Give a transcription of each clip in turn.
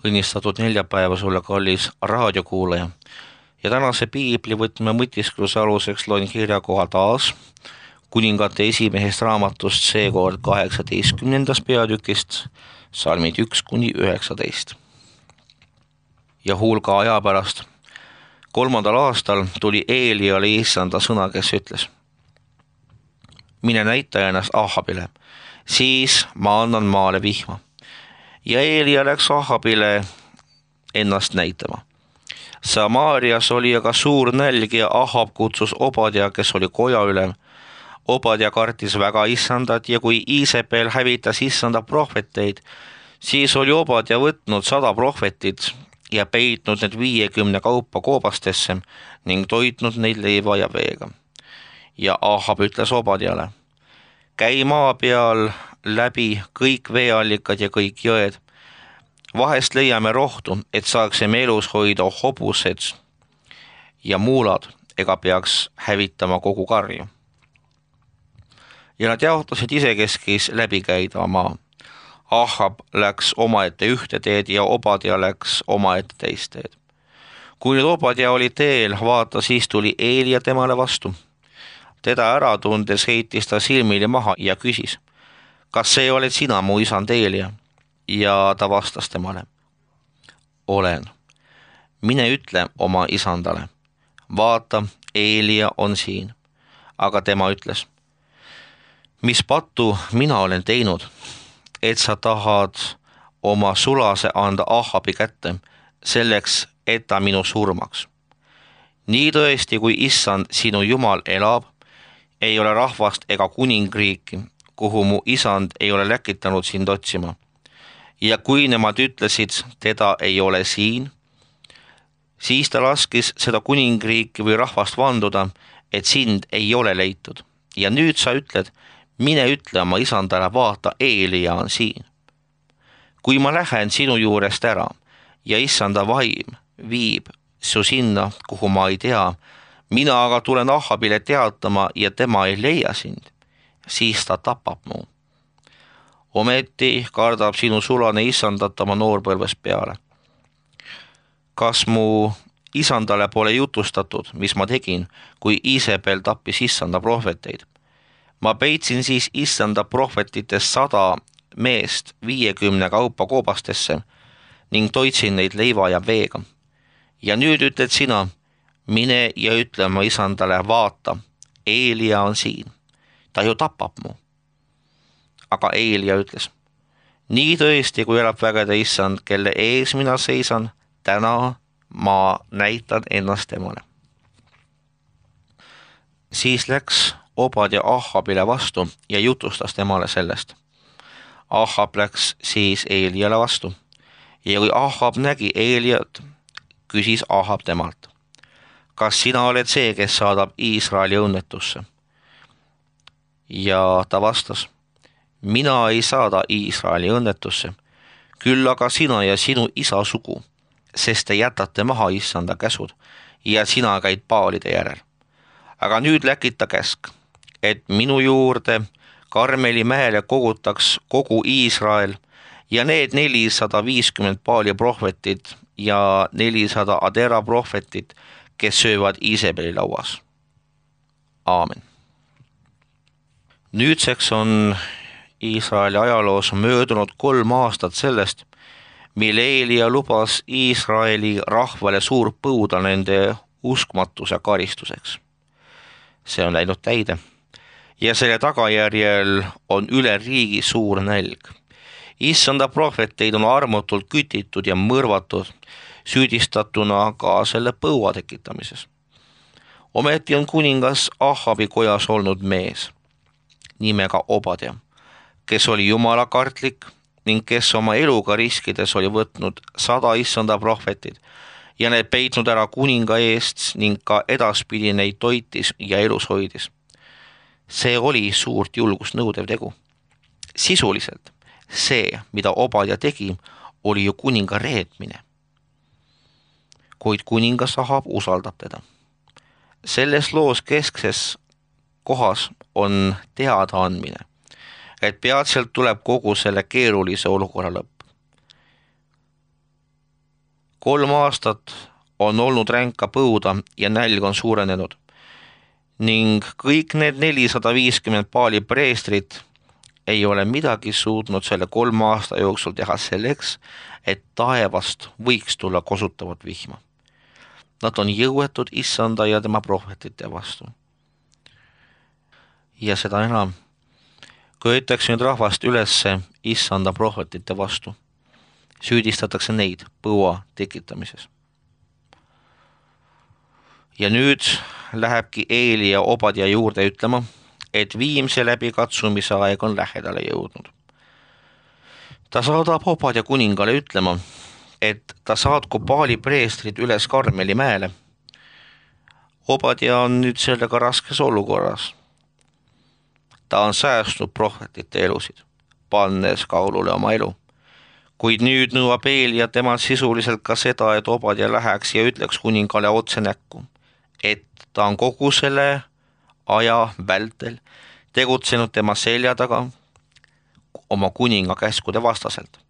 õnnistatud neljapäeva sulle, kallis raadiokuulaja. Ja tänase piiblivõtme mõtiskluse aluseks loen kirjakoha taas kuningate esimehest raamatust, seekord 18. peatükist, salmid 1–19. Ja hulga aja pärast 3. aastal tuli Eeliale issanda sõna, kes ütles: mine näita ennast Ahabile, siis ma annan maale vihma. Ja Eelia läks Ahabile ennast näitama. Samaarias oli aga suur nälg ja Ahab kutsus Obadja, kes oli kojaülem. Obadja kartis väga issandat ja kui Iisabel hävitas issanda prohveteid, siis oli Obadja võtnud 100 prohvetit ja peitnud need 50 kaupa koobastesse ning toitnud neid leiva ja veega. Ja Ahab ütles Obadjale: käi maa peal läbi kõik veeallikad ja kõik jõed. Vahest leiame rohtu, et saaksime elus hoida hobused ja muulad, ega peaks hävitama kogu karju. Ja nad jaotasid isekeskis läbi käida maa. Ahab läks omaette ühte teed ja Obadja läks omaette teist teed. Kui nüüd Obadja oli teel, vaata, siis tuli Eelia temale vastu. Teda ära tundes heitis ta silmili maha ja küsis: kas see oled sina, mu isand Eelia? Ja ta vastas temale: olen. Mine ütle oma isandale: vaata, Eelia on siin. Aga tema ütles: mis pattu mina olen teinud, et sa tahad oma sulase anda Ahabi kätte, selleks, et ta minu surmaks. Nii tõesti, kui issand sinu Jumal elab, ei ole rahvast ega kuningriiki, kuhu mu isand ei ole läkitanud sind otsima. Ja kui nemad ütlesid, teda ei ole siin, siis ta laskis seda kuningriiki või rahvast vanduda, et sind ei ole leitud. Ja nüüd sa ütled: mine ütle oma isandale, vaata, Eelia on siin. Kui ma lähen sinu juurest ära ja issanda vaim viib su sinna, kuhu ma ei tea, mina aga tulen Ahabile teatama ja tema ei leia sind, siis ta tapab mu. Ometi kardab sinu sulane issandat oma noorpõlvest peale. Kas mu isandale pole jutustatud, mis ma tegin, kui Iisabel tappis issanda prohveteid? Ma peitsin siis issanda prohvetitest 100 meest 50 kaupa koobastesse ning toitsin neid leiva ja veega. Ja nüüd ütled sina: mine ja ütle oma isandale, vaata, Eelia on siin, ta ju tapab mu. Aga Eelia ütles: nii tõesti, kui elab vägede issand, kelle ees mina seisan, täna ma näitan ennast temale. Siis läks Obadja Ahabile vastu ja jutustas temale sellest. Ahab läks siis Eeliale vastu ja kui Ahab nägi Eeliat, küsis Ahab temalt: kas sina oled see, kes saadab Iisraeli õnnetusse? Ja ta vastas: mina ei saada Iisraeli õnnetusse, küll aga sina ja sinu isa sugu, sest te jätate maha issanda käsud ja sina käid paalide järel. Aga nüüd läkita käsk, et minu juurde Karmeli mäele kogutaks kogu Iisrael ja need 450 paali prohvetit ja 400 Adera prohvetit, kes söövad Iisabeli lauas. Aamen. Nüüdseks on Iisraeli ajaloos möödunud 3 aastat sellest, mil Eelia lubas Iisraeli rahvale suur põuda nende uskmatuse karistuseks. See on läinud täide ja selle tagajärjel on üle riigi suur nälg. Issanda prohveteid on armutult kütitud ja mõrvatud, süüdistatuna ka selle põua tekitamises. Ometi on kuningas Ahabi kojas olnud mees nimega Obadja, kes oli jumalakartlik ning kes oma eluga riskides oli võtnud 100 issanda prohvetit ja need peitnud ära kuninga eest ning ka edaspidi neid toitis ja elus hoidis. See oli suurt julgust nõudev tegu. Sisuliselt see, mida Obadja tegi, oli ju kuninga reetmine. Kuid kuningas Ahab usaldab teda. Selles loos keskses kohas on teadaandmine, et peatselt tuleb kogu selle keerulise olukorra lõpp. 3 aastat on olnud ränka põuda ja nälg on suurenenud ning kõik need 450 Baali preestrit ei ole midagi suutnud selle 3 aasta jooksul teha selleks, et taevast võiks tulla kosutavat vihma. Nad on jõuetud issanda ja tema prohvetite vastu. Ja seda enam, köetakse nüüd rahvast ülesse issanda prohvetite vastu. Süüdistatakse neid põua tekitamises. Ja nüüd lähebki Eeli ja Obadia juurde ütlema, et viimse läbi katsumise aeg on lähedale jõudnud. Ta saadab Obadia kuningale ütlema, et ta saatku Baali preestrid üles Karmeli mäele. Obadia on nüüd sellega raskes olukorras. Ta on säästnud prohvetite elusid, pannes kaulule oma elu. Kuid nüüd nõuab Eeli ja tema sisuliselt ka seda, et Obadia läheks ja ütleks kuningale otse näkku, et ta on kogu selle aja vältel tegutsenud tema selja taga oma kuninga käskude vastaselt.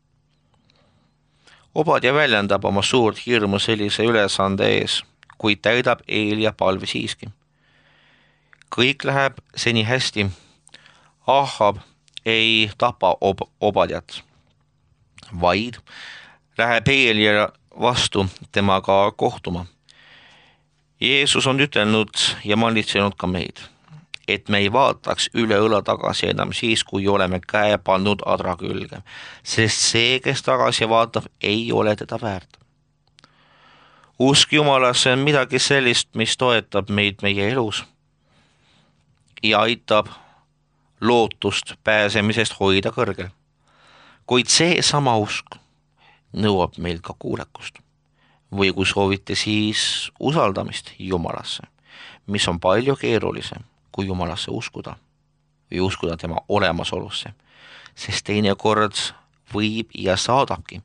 Obadia väljendab oma suurt hirmu sellise ülesande ees, kuid täidab Eelia palve siiski. Kõik läheb seni hästi. Ahab ei tapa Obadiat, vaid läheb Eelia vastu temaga kohtuma. Jeesus on ütelnud ja malitsenud ka meid, et me ei vaataks üle õla tagasi enam siis, kui oleme käe pannud adra külge, sest see, kes tagasi vaatab, ei ole teda väärt. Usk Jumalasse on midagi sellist, mis toetab meid meie elus ja aitab lootust pääsemisest hoida kõrgel. Kuid see sama usk nõuab meilt ka kuulekust. Või kui soovite, siis usaldamist Jumalasse, mis on palju keerulisem kui Jumalasse uskuda või uskuda tema olemasolusse, sest teinekord võib ja saadabki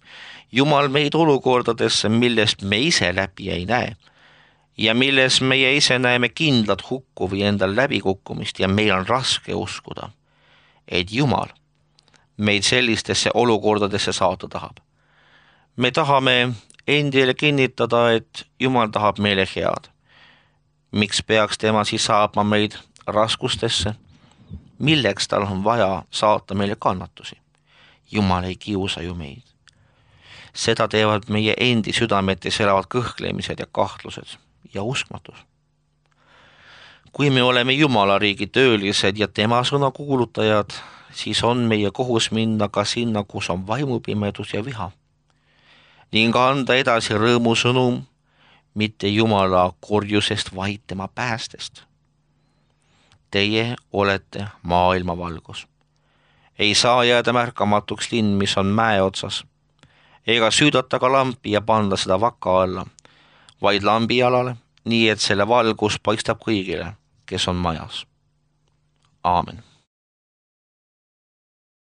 Jumal meid olukordadesse, millest me ise läbi ei näe ja milles meie ise näeme kindlat hukku või endal läbikukkumist ja meil on raske uskuda, et Jumal meid sellistesse olukordadesse saata tahab. Me tahame endile kinnitada, et Jumal tahab meile head. Miks peaks tema siis saatma meid raskustesse? Milleks tal on vaja saata meile kannatusi? Jumal ei kiusa ju meid. Seda teevad meie endi südametes elavad kõhklemised ja kahtlused ja uskmatus. Kui me oleme Jumala riigi töölised ja tema sõna kuulutajad, siis on meie kohus minna ka sinna, kus on vaimupimedus ja viha, ning anda edasi rõõmusõnum, mitte Jumala korjusest, vaid tema päästest. Teie olete maailma valgus. Ei saa jääda märkamatuks linn, mis on mäe otsas, ega süüdata ka lampi ja panna seda vaka alla, vaid lambi alale, nii et selle valgus paistab kõigile, kes on majas. Aamen.